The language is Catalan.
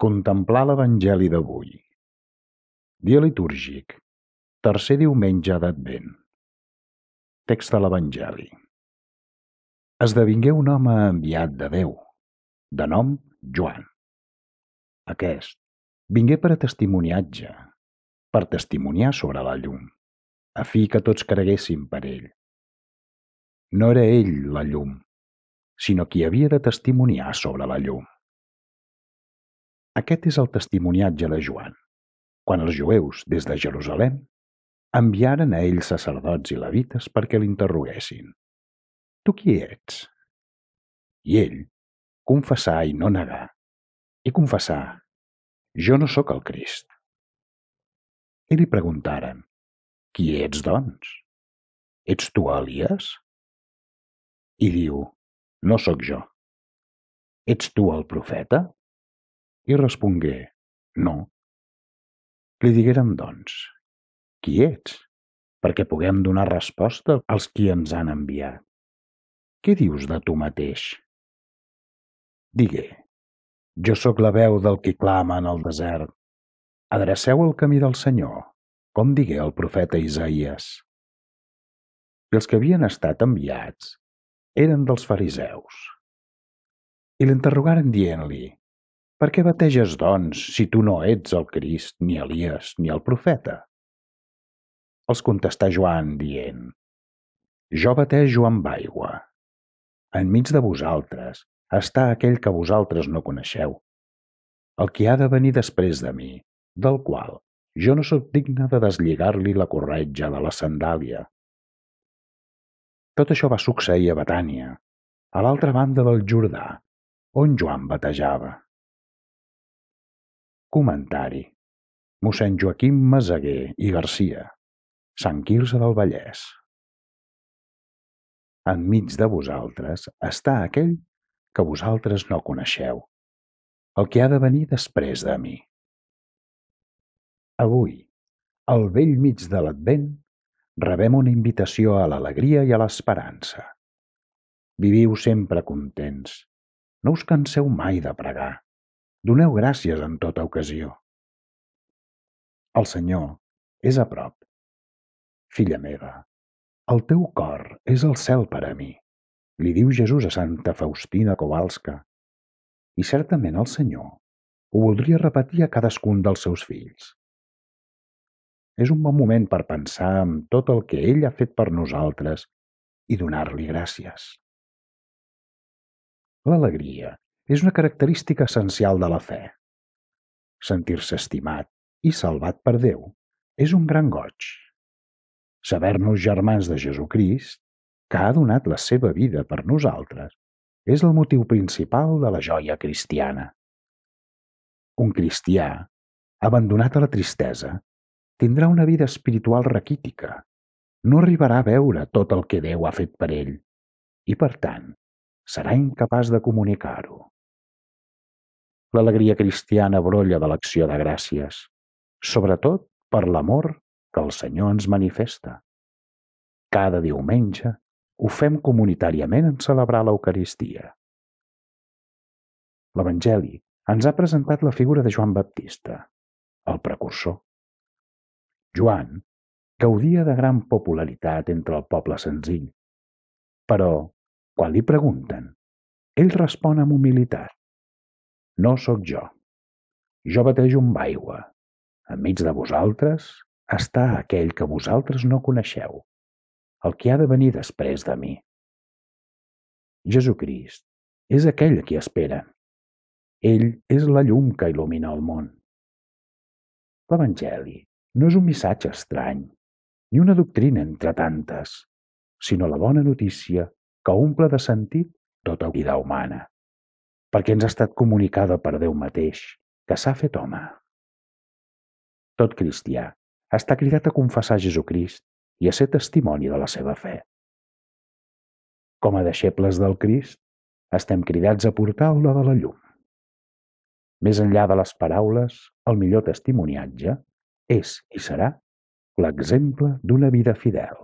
Contemplar l'Evangeli d'avui. Dia litúrgic, tercer diumenge d'Advent. Text de l'Evangeli. Esdevingué un home enviat de Déu, de nom Joan. Aquest vingué per a testimoniatge, per testimoniar sobre la llum, a fi que tots creguessin per ell. No era ell la llum, sinó qui havia de testimoniar sobre la llum. Aquest és el testimoniatge de Joan, quan els jueus, des de Jerusalem, enviaren a ell sacerdots i levites perquè l'interroguessin. Tu qui ets? I ell confessà i no negà, i confessà, jo no sóc el Crist. I li preguntaren, qui ets, doncs? Ets tu Elies? I diu, no sóc jo. Ets tu el profeta? I respongué, no. Li digueren, doncs, qui ets? Perquè puguem donar resposta als qui ens han enviat. Què dius de tu mateix? Digué, jo sóc la veu del qui clama en el desert. Adreceu el camí del Senyor, com digué el profeta Isaïes. I els que havien estat enviats eren dels fariseus. I l'interrogaren dient-li, per què bateges, doncs, si tu no ets el Crist, ni Elies, ni el profeta? Els contestà Joan dient, jo batejo amb aigua. Enmig de vosaltres està aquell que vosaltres no coneixeu, el qui ha de venir després de mi, del qual jo no sóc digne de deslligar-li la corretja de la sandàlia. Tot això va succeir a Betània, a l'altra banda del Jordà, on Joan batejava. Comentari. Mossèn Joaquim Meseguer i Garcia, Sant Quirze del Vallès. Enmig de vosaltres està aquell que vosaltres no coneixeu, el que ha de venir després de mi. Avui, al bell mig de l'Advent, rebem una invitació a l'alegria i a l'esperança. Viviu sempre contents. No us canseu mai de pregar. Doneu gràcies en tota ocasió. El Senyor és a prop. Filla meva, el teu cor és el cel per a mi, li diu Jesús a Santa Faustina Kowalska. I certament el Senyor ho voldria repetir a cadascun dels seus fills. És un bon moment per pensar en tot el que ell ha fet per nosaltres i donar-li gràcies. L'alegria és una característica essencial de la fe. Sentir-se estimat i salvat per Déu és un gran goig. Saber-nos germans de Jesucrist, que ha donat la seva vida per nosaltres, és el motiu principal de la joia cristiana. Un cristià, abandonat a la tristesa, tindrà una vida espiritual raquítica, no arribarà a veure tot el que Déu ha fet per ell i, per tant, serà incapaç de comunicar-ho. L'alegria cristiana brolla de l'acció de gràcies, sobretot per l'amor que el Senyor ens manifesta. Cada diumenge ho fem comunitàriament en celebrar l'Eucaristia. L'Evangeli ens ha presentat la figura de Joan Baptista, el precursor. Joan gaudia de gran popularitat entre el poble senzill, però, quan li pregunten, ell respon amb humilitat. No sóc jo. Jo batejo amb aigua. Enmig de vosaltres està aquell que vosaltres no coneixeu, el que ha de venir després de mi. Jesucrist és aquell a qui esperen. Ell és la llum que il·lumina el món. L'Evangeli no és un missatge estrany, ni una doctrina entre tantes, sinó la bona notícia que omple de sentit tota vida humana, perquè ens ha estat comunicada per Déu mateix, que s'ha fet home. Tot cristià està cridat a confessar Jesucrist i a ser testimoni de la seva fe. Com a deixebles del Crist, estem cridats a portar la de la llum. Més enllà de les paraules, el millor testimoniatge és i serà l'exemple d'una vida fidel.